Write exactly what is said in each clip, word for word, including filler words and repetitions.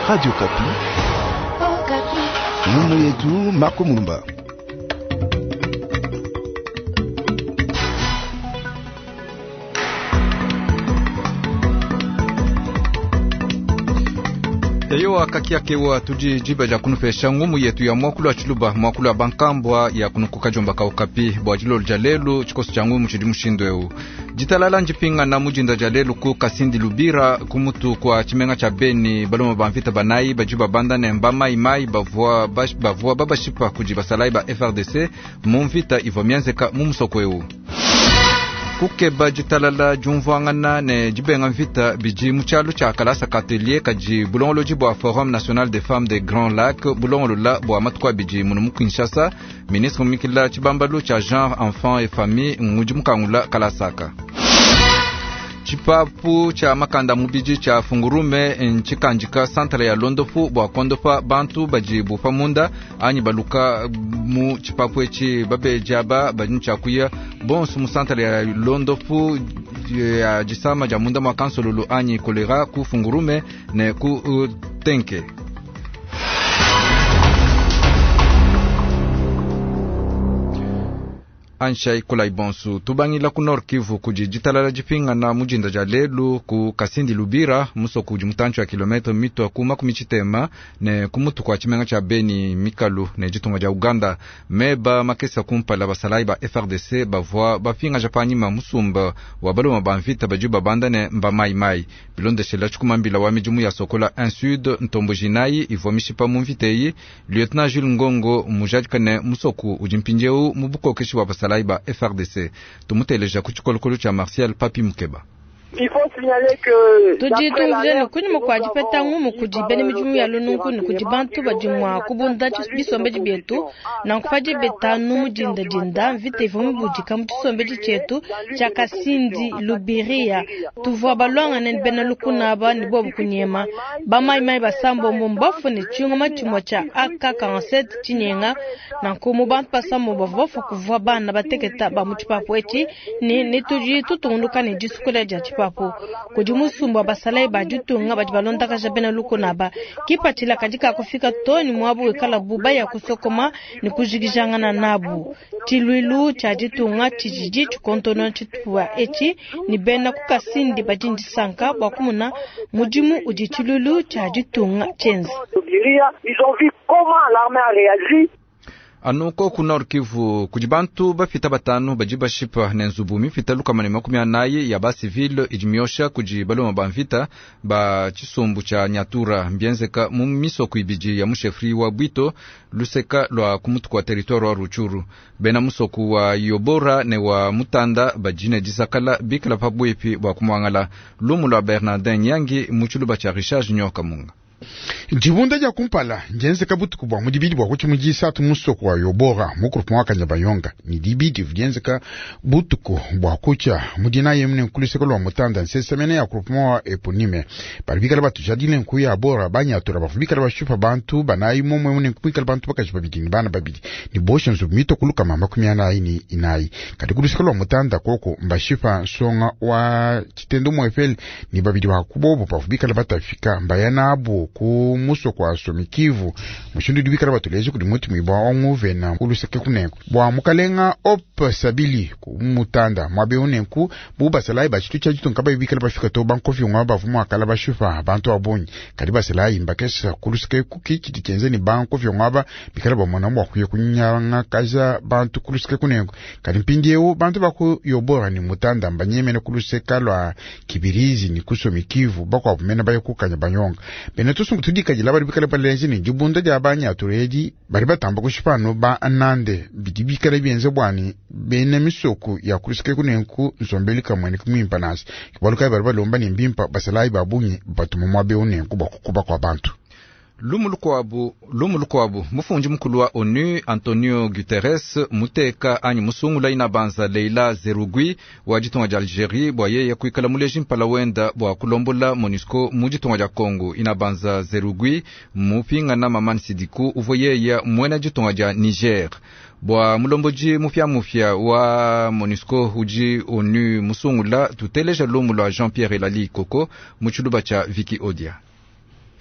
Radio Okapi. Ngumu yetu Marco Mulumba. Eyo kakiakewa tudi diba dia kunupesha ngumu yetu ya mwakulu wa tshiluba mwakulu wa bankambwa ya kunukuka jomba ka Okapi bua dilolo dia lelu tshikoso tshia ngumu tshidi mushindu eu ditalala ndipingana mujinda dia lelu ku Kasindi Lubira kumutu kwa tshimenga tshia Beni baloma ba mvita banayi badi babanda ne mbamaimai bavua bavua babashipa kudi basalayi ba F R D C mu mvita ivua mienzeka mu musoko eu. Kukeba ditalala diumvuangana ne dibenga mvita bidi mu tshialu tshia kalasa katelier kadi bulongolodi bua Forum National des Femmes des Grands Lacs bulongolola bua matuku abidi munu mu Kinshasa. Ministre mumikila tshibambalu tshia genre enfant et famille ngudi mukangula kalasaka. Tshipapu tshia makanda mubidi tshia fungurume ntshikandika santala ya londopu bua kondopa bantu badi bupa munda anyi baluka mu tshipapu etshi babejaba badi tshiakuya bonso mu santala ya londopu ya disama dia munda mwa kansololo anyi kolera ku fungurume ne ku uh, tenke. Anshai kulai bonsu tubangila ku Nord Kivu kudi ditalala dipingana mujinda dia lelu ku Kasindi Lubira musoko udi mutantshi wa kilometre mitwa ku makumi tshitema ne ku mutu kwa tshimenga tshia Beni mikalu ne ditunga dia Uganda. Meba makesa kumpala basalayi ba F R D C bavua bapingaja panyima musumba wa baloma ba mvita badi babanda ne mbamaimai bilondeshela tshikumambila wa midimu ya Sokola un Sud ntombo jinayi ivua mishipa mu mvita eyi. Lieutenant Jules Ngongo mujadika ne musoko udi mpindieu mu bukokeshi wa basalayi ba F R D C. Tumuteleja ku tshikolokolo tshia Martial Papi Mukeba. Tudi tumvujene kunyima kua dipeta ngumu kudi bena midimu ya lununku ne kudi bantu badi mua kubunda bisombedi bietu nanku padi betanu mudindadinda mvita ivua mibudika mu tshisombedi tshietu tshia Kasindi Lubiria. Tuvua balwangane ne bena lukuna aba ne bobu kunyema bamaimai basambombo mbafu ne tshiungoma tshimue tshia A K quarante-sept tshinyenga nanku mu bantu basambombo bavua bafua kuvua bana bateketa ba mu tshipapu etshi ne ne tudi tutungunuka ne disukula dia tshipapu kudi musumba basalayi ba ditunga badi balondakaja bena lukuna aba kipatshila kadi kakufika to ni muabu wikala buba ya kusokoma ne kujikijangana nabu. Tshiluilu tshia ditunga tshididi tshikontono tshitupa etshi ni bena ku Kasindi badi ndisanka bua kumona mudimu udi tshiluilu tshia ditunga tshienza. Anuko ku Nord Kivu kudi bantu bafita batanu badi bashipa ne nzubu mifita lukama ne makumi anayi ya ba civile idi miosha kudi baloma ba mvita ba tshisumbu tshia Nyatura mbienzeka mu misoko ibidi ya mushefri wa Bwito luseka lwa kumutu kwa territoire wa Ruchuru. Bena musoku wa Yobora ne wa Mutanda badi ne disakala bikala pabwepi bua kumwangala. Lumu lwa Bernardin Nyangi mu tshiluba tshia Richard Junior Kamunga. Dibunda dia kumpala ndienzeka butuku bua mudibidi bua kuti mudisatu musoko wa Yobora mu groupement wa Kanyabayonga ni dibidi dienzeka butuku bua kucha mudina yemne nkuluseko lwa Mutanda nsesemene ya groupement wa Eponime bali bikala batujadile nku ya Bora banyatura bafu bikala bashupa bantu banayi momwe mune nkuikala bantu bakaji babidi ni bana babidi ni bosha nzu mito kuluka mama makumi anayi ni inayi kadi kuluseko lwa Mutanda koko mbashipa nsonga wa chitendo mwefeli ni babidi wa kubobo bafu bikala batafika mbayana abo ku muso kwa somikivu mushindu dibikala batuleje kudi muti mwibwa onguvena kuluseke kuneko bwa mukalenga op sabili ku mutanda mwabe unenku bu basalayi bachitu cha jitu nkaba ibikala bafika to bankofi ngwa bavumu akala bashufa bantu abonyi kadi basalayi mbakesa kuluseke kukichi dikenze ni bankofi ngwa bikala bamona mwa kuye kunyanga kaza bantu kuluseke kuneko kadi mpindieu bantu baku yobora ni mutanda mbanyemene kuluseka lwa kibirizi ni kusomikivu bakwa bumena baye kukanya banyonga bene tusungu tudikajila bali bikala balenzi ni dibunda dia banyaturedi bali batamba kushipano ba anande bidi bikala bienze bwani bene misoko ya kuluseke kunenku nsombeli kamwene kumwimpa nasi kibaluka bali balomba ni mbimpa basalayi babunyi batuma mwabe unenku bakukuba kwa bantu. Lumu lukuabu, lumu lukuabu, mufundi mukulu wa ONU Antonio Guterres muteka anyi musungula inabanza Leila Zerugui wa ditunga dia Algerie bua yeye kuikala muleji mpala wenda bua kulombola MONUSCO mu ditunga dia Congo. Inabanza Zerugui mupingana Maman Sidikou uvua yeye muena ditunga dia Niger. Bua mulomboji mupya mupya wa MONUSCO udi ONU musungula tuteleja lumu lua Jean-Pierre Elali Koko mu tshiluba tshia Vicky Odia.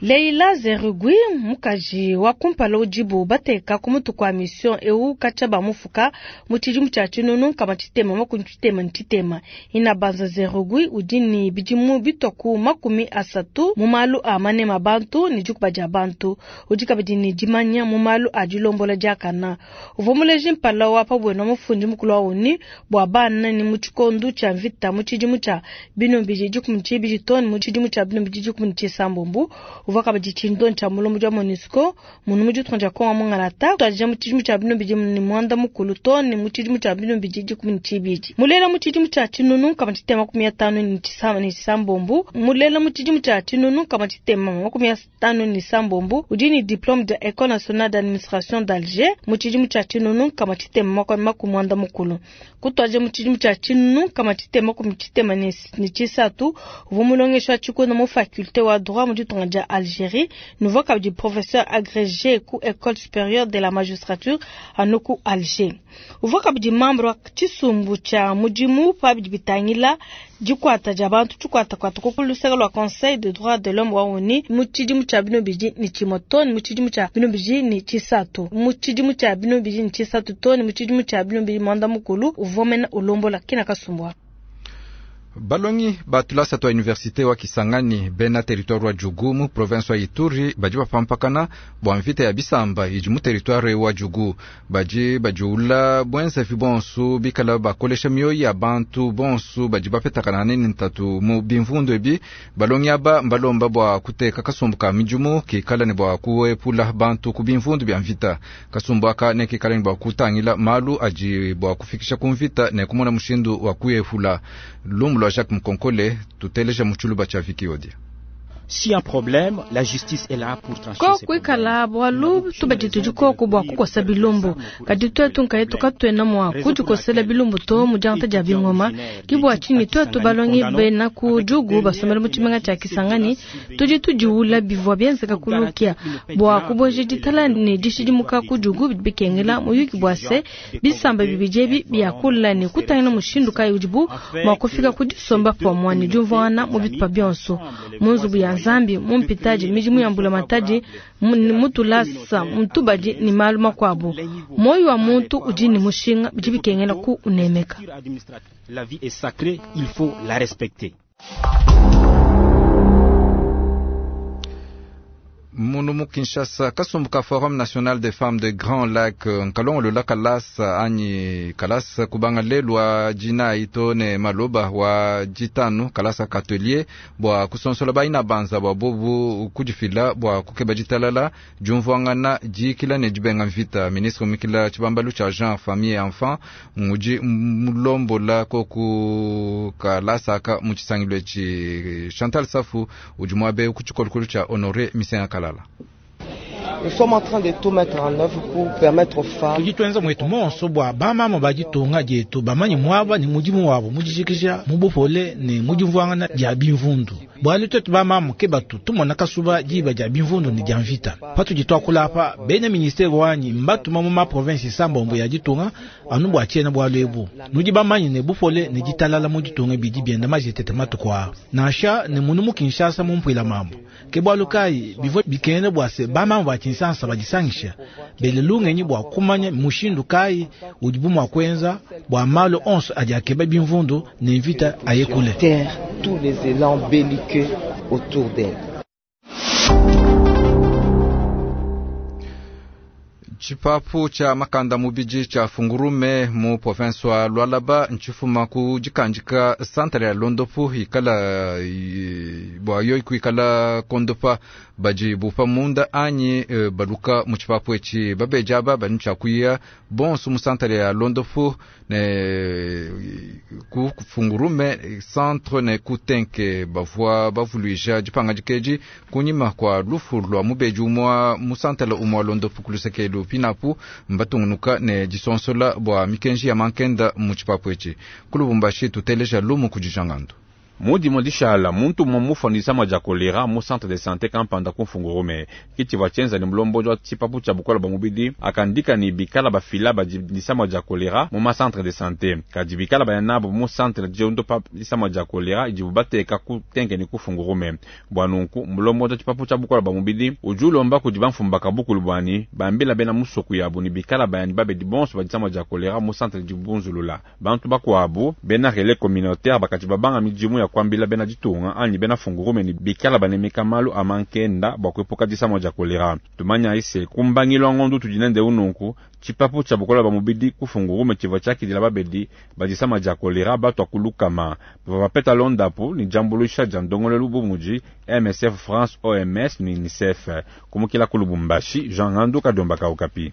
Leila Zerugui mukaji wa kumpala udibu bateka ku mutu kwa mission eu katshia bamufuka mu tshidimu tshia tshinunu nkama tshitema makumi tshitema ne tshitema. Inabanza Zerugui udi ne bidimu bitua ku makumi asatu mu malu a manema bantu ne dikuba dia bantu, udi kabidi ne dimanya mu malu a dilombola diakana. Uvua muleji mpala wa pabwena mufundi mukulu wa ONU bua bana ne mu tshikondu tshia mvita mu tshidimu tshia binunu bibidi dikumi tshibidi too ne mu tshidimu tshia binunu bibidi dikumi tshisambombo. Uvua kabidi tshindonyi tshia mulombo dia MONUSCO munu mu ditunga dia Kongo mungalata tuadija mu tshidimu tshia binunu bibidi ne muanda mukulu too ne mu tshidimu tshia binunu bibidi dikumi ne tshibidi. Mulela mu tshidimu tshia tshinunu nkama tshitema makumi atanu ne tshisamba ne tshisambombo. Mulela mu tshidimu tshia tshinunu nkama tshitema makumi atanu ne sambombo udi ne diplôme de École nationale d'administration d'Alger mu tshidimu tshia tshinunu nkama tshitema makumi muanda mukulu. Kutuadija mu tshidimu tshia tshinunu nkama tshitema makumi tshitema ne tshisatu uvua mulongeshi wa tshikunda mu faculté wa droit mu ditunga dia Algérie, nouveau kabidi professeur agrégé ku École supérieure de la magistrature anuku Alger. Uvua kabidi membre wa tshisumbu tshia mudimu pa bidi bitangila dikwata dia bantu tshikwatakwata ku luseke lua Conseil de droits de l'homme wa ONU mu tshidimu tshia binunu bibidi ne tshimue too ne mu tshidimu tshia binunu bibidi ne tshisatu mu tshidimu tshia binunu bibidi ne tshisatu too ne mu tshidimu tshia binunu bibidi muanda mukulu uvua mena ulombola kina kasumbu. Balongi batulasa twa universite wa Kisangani bena territoire wa Djugu mu province wa Ituri badi bapampakana bua mvita ya bisamba idi mu territoire wa Djugu, badi bajiula bwenzevi bonsu bikala bakolesha mioyo ya bantu bonsu badi bapetakana nini ntatu mu bimvundu ebi. Balongi aba mbalomba bua kuteka kasumbu ka midimu kikala ne bua kuepula bantu ku bimvundu bya mvita. Kasumbu aka ne kikala ne bua kutangila malu adi bua kufikisha ku mvita ne kumona mushindu wa kuepula. Lumbu Jacques Mkonkole tuteleja muchuluba cha Viki Odia. Si un problème, la justice est là pour trancher. Ko kuikala bwalu tubadi tudiko bua kukosa bilumbu kadi twetu nkayetu katwena mwa kudikosela bilumbu to mu diangata dia bingoma kibua tshinyi twetu balongi bena ku Djugu basomela mu tshimenga tshia Kisangani tudi tudiula bivua bienzeka kulukia bua kuboja ditala ne dishidimuka ku Djugu bidi bikengela muyuki bua se bisamba bibidi ebi biakula ne kutangila mushindu kayi udibu mua kufika ku disomba pamue ne diumvuangana mu bitupa bionso mu nzubu ya Nzambi mu mpitaji midimu ya mbula matadi mutulasa mutubadi ni malu makwabo. Moyo wa muntu udi ni mushinga bidi bikengela ku unemeka. La vie est sacrée, il faut la respecter. Munu mu Kinshasa kasumbu ka Forum National des Femmes de Grand Lac nkalongolo la kalasa anyi kalasa kubanga lelu wa jina ito ne maloba wa jitanu kalasa katelier bua kusonsola baina banza bua bobu kudifila bua kukeba ditalala diumvuangana dikila ne dibenga mvita. Ministre mikila tshibambalu tshia Jean Famille et Enfant ngudi mulombola koku kalasa aka mu tshisangilo etshi. Chantal Safu udi muabe ku tshikolokolo tshia Honoré Misenga Kalala. Nous sommes en train de tout mettre en œuvre pour permettre aux femmes. Tudi tuenza mwetu monso bua bamama baditunga dietu bamanye muaba ne mudimu wabo mudijikija mu bupole ne mudimvuangana dia bimvundu. Bualu twetu bamama ke batu tumona kasuba diba dia bimvundu ne dia mvita. Patudi tuakula apa bena ministere wanyi mbatuma mu ma province sambombo ya ditunga anu bua tshiena bualu ebu. Nudi bamanye ne bupole ne ditalala mu ditunga bidi bienda majetete matuku aa. Nansha ne munu mu Kinshasa mu mpuila mambo. Ke bualu kayi bivua bikengela bua se bamama ba Kinshasa badisangisha bele lungenyi bua kumanya mushindu kayi udibu mua kuenza bua malu onso adi akeba bimvundu ne mvita ayekule. Tous les élans belliqueux autour d'elle. Tshipapu tshia makanda mubidi tshia Fungurume mu province wa Lualaba ntshifuma ku dikandika santre ya Londopu ikala bua yo kuikala kondopa badi bupa munda anyi e, baluka mu tshipapu etshi babeja aba badi tshiakuya bonso mu santre ya Londopu ne ku Fungurume centre ne kutenke bavua bavuluija dipanga dikeji kunyima kwa lufu lua mubeji umua mu santre umua Londopu kulusekelu pinapu mbatungunuka ne disonsola bua mikenji ya mankenda mu tshipapu etshi. Ku Lubumbashi tuteleja lumu kudi Jangandu. Mu dimua dishala muntu umua mufua ne disama dia kolera mu centre de sante kampanda ku Fungurume. Ke tshivua tshienza ne mulombodi wa tshipapu tshia bukola bua mubidi akandika ne bikala bafila badi disama dia kolera mu ma centre de sante. Kadi bikala baya nabo mu centre diondopa disama dia kolera idibu bateka ku Tenke ne ku Fungurume. Bua nunku mulombodi wa tshipapu tshia bukola bua mubidi udi ulomba kudi bamfumu bakabukulu buani bambila bena musoku yabu ne bikala bayani babedi bonso ba disama dia kolera mu centre dibunzulula. Bantu bakuabu bena relais communautaire bakati babanga midimu ya kuambila bena ditunga anyi bena Fungurume ne bikala banemeka malu a mankenda bua kuepuka disama dia kolera. Tumanya ise kumbangilo ngondu tudi nende ununku tshipapu tshia bukola ba mubidi ku Fungurume tshivua tshiakidila babedi ba disama dia kolera batua kulukama. Bavua bapeta londapu ne diambuluisha dia ndongoluelu bu mudi M S F France, O M S ne UNICEF. Kumukila ku Lubumbashi, Jean Ngandu Kadiomba ka Okapi.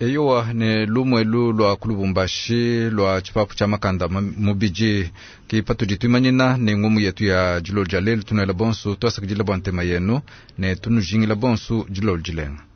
Eyowa ne lumwelu lwa ku Lubumbashi lwa tshipapu tshia makanda mubidi ke patudi tuimanyina ne ngumu yetu ya dilolo dia lelu. Tunuela bonso twasakidila bua ntema yenu ne tunujingila bonso dilolo dilenga.